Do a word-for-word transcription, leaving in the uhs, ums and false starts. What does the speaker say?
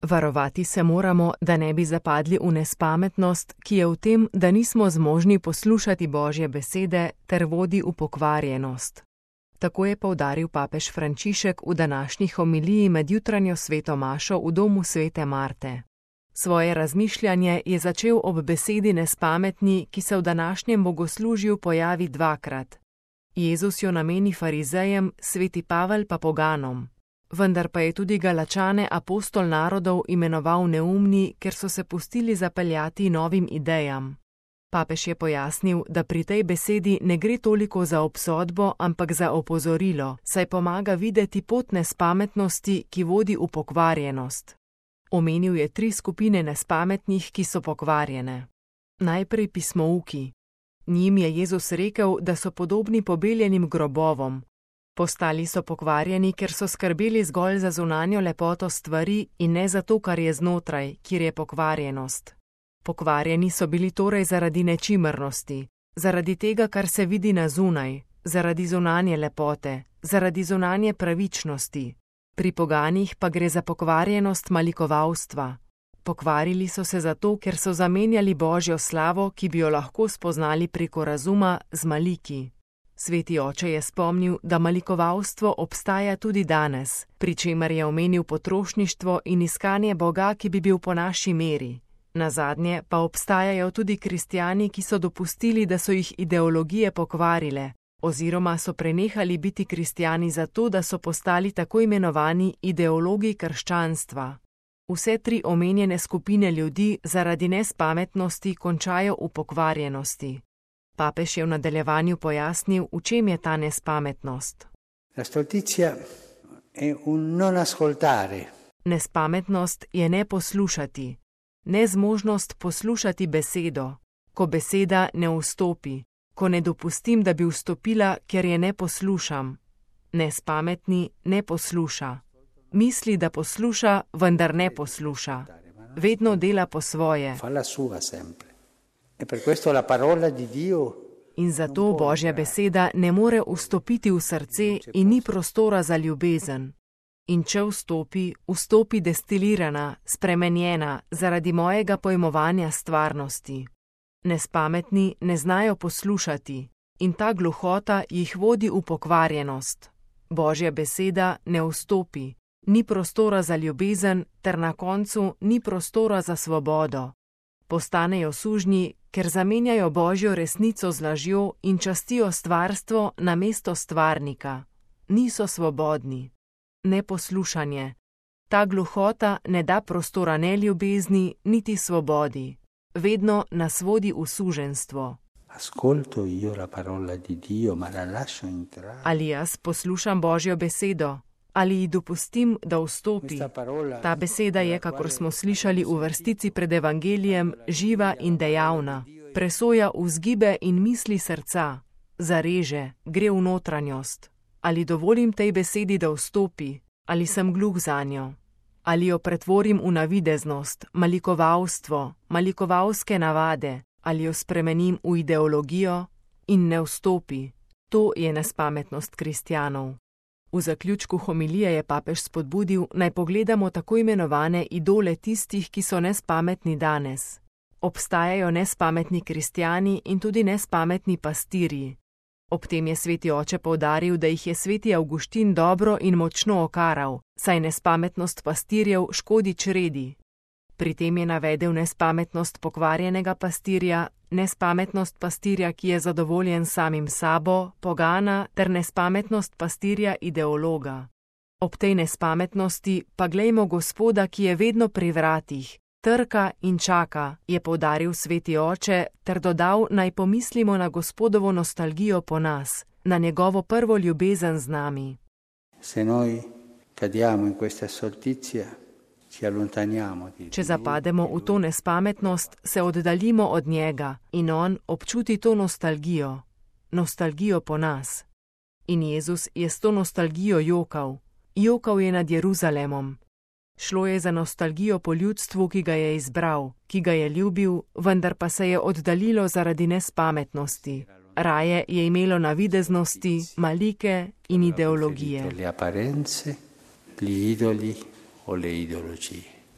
Varovati se moramo, da ne bi zapadli v nespametnost, ki je v tem, da nismo zmožni poslušati Božje besede ter vodi v pokvarjenost. Tako je poudaril papež Frančišek v današnji homiliji med jutranjo sveto mašo v domu svete Marte. Svoje razmišljanje je začel ob besedi nespametni, ki se v današnjem bogoslužju pojavi dvakrat. Jezus jo nameni farizejem, sveti Pavel pa poganom. Vendar pa je tudi Galačane apostol narodov imenoval neumni, ker so se pustili zapeljati novim idejam. Papež je pojasnil, da pri tej besedi ne gre toliko za obsodbo, ampak za opozorilo, saj pomaga videti pot nespametnosti, ki vodi v pokvarjenost. Omenil je tri skupine nespametnih, ki so pokvarjene. Najprej pismouki. Njim je Jezus rekel, da so podobni pobeljenim grobovom. Postali so pokvarjeni, ker so skrbeli zgolj za zunanjo lepoto stvari in ne za to, kar je znotraj, kjer je pokvarjenost. Pokvarjeni so bili torej zaradi nečimrnosti, zaradi tega, kar se vidi na zunaj, zaradi zunanje lepote, zaradi zunanje pravičnosti. Pri poganih pa gre za pokvarjenost malikovalstva. Pokvarili so se zato, ker so zamenjali Božjo slavo, ki bi jo lahko spoznali preko razuma, z maliki. Sveti oče je spomnil, da malikovalstvo obstaja tudi danes, pri čemer je omenil potrošništvo in iskanje Boga, ki bi bil po naši meri. Nazadnje pa obstajajo tudi kristjani, ki so dopustili, da so jih ideologije pokvarile, oziroma so prenehali biti kristjani zato, da so postali tako imenovani ideologi krščanstva. Vse tri omenjene skupine ljudi zaradi nespametnosti končajo v pokvarjenosti. Papež je v nadaljevanju pojasnil, v čem je ta nespametnost. La stoltizia è un non ascoltare. Nespametnost je ne poslušati, nezmožnost poslušati besedo, ko beseda ne vstopi, ko ne dopustim, da bi vstopila, ker je ne poslušam. Nespametni ne posluša. Misli, da posluša, vendar ne posluša. Vedno dela po svoje. In zato Božja beseda ne more vstopiti v srce in ni prostora za ljubezen. In če vstopi, vstopi destilirana, spremenjena, zaradi mojega pojmovanja stvarnosti. Nespametni ne znajo poslušati in ta gluhota jih vodi v pokvarjenost. Božja beseda ne vstopi, ni prostora za ljubezen ter na koncu ni prostora za svobodo. Postanejo sužnji, ker zamenjajo Božjo resnico z lažjo in častijo stvarstvo namesto stvarnika. Niso svobodni. Neposlušanje. Ta gluhota ne da prostora ne ljubezni, niti svobodi. Vedno nas vodi v suženjstvo. Ali jaz poslušam Božjo besedo? Ali ji dopustim, da vstopi? Ta beseda je, kakor smo slišali v vrstici pred evangelijem, živa in dejavna. Presoja vzgibe in misli srca. Zareže, gre v notranjost. Ali dovolim tej besedi, da vstopi? Ali sem gluh zanjo? Ali jo pretvorim v navideznost, malikovalstvo, malikovalske navade? Ali jo spremenim v ideologijo in ne vstopi? To je nespametnost kristjanov. V zaključku homilije je papež spodbudil, naj pogledamo tako imenovane idole tistih, ki so nespametni danes. Obstajajo nespametni kristjani in tudi nespametni pastirji. Ob tem je sveti oče poudaril, da jih je sveti Avguštin dobro in močno okaral, saj nespametnost pastirjev škodi čredi. Pri tem je navedel nespametnost pokvarjenega pastirja, nespametnost pastirja, ki je zadovoljen samim sabo, pogana, ter nespametnost pastirja ideologa. Ob tej nespametnosti pa glejmo Gospoda, ki je vedno pri vratih, trka in čaka, je poudaril sveti oče, ter dodal, naj pomislimo na Gospodovo nostalgijo po nas, na njegovo prvo ljubezen z nami. Se noi cadiamo in questa stoltizia, Če zapademo v to nespametnost, se oddaljimo od njega in on občuti to nostalgijo, nostalgijo po nas. In Jezus je s to nostalgijo jokal, jokal je nad Jeruzalemom. Šlo je za nostalgijo po ljudstvu, ki ga je izbral, ki ga je ljubil, vendar pa se je oddaljilo zaradi nespametnosti. Raje je imelo navideznosti, malike in ideologije. Le apparenze, gli idoli o le ideologie.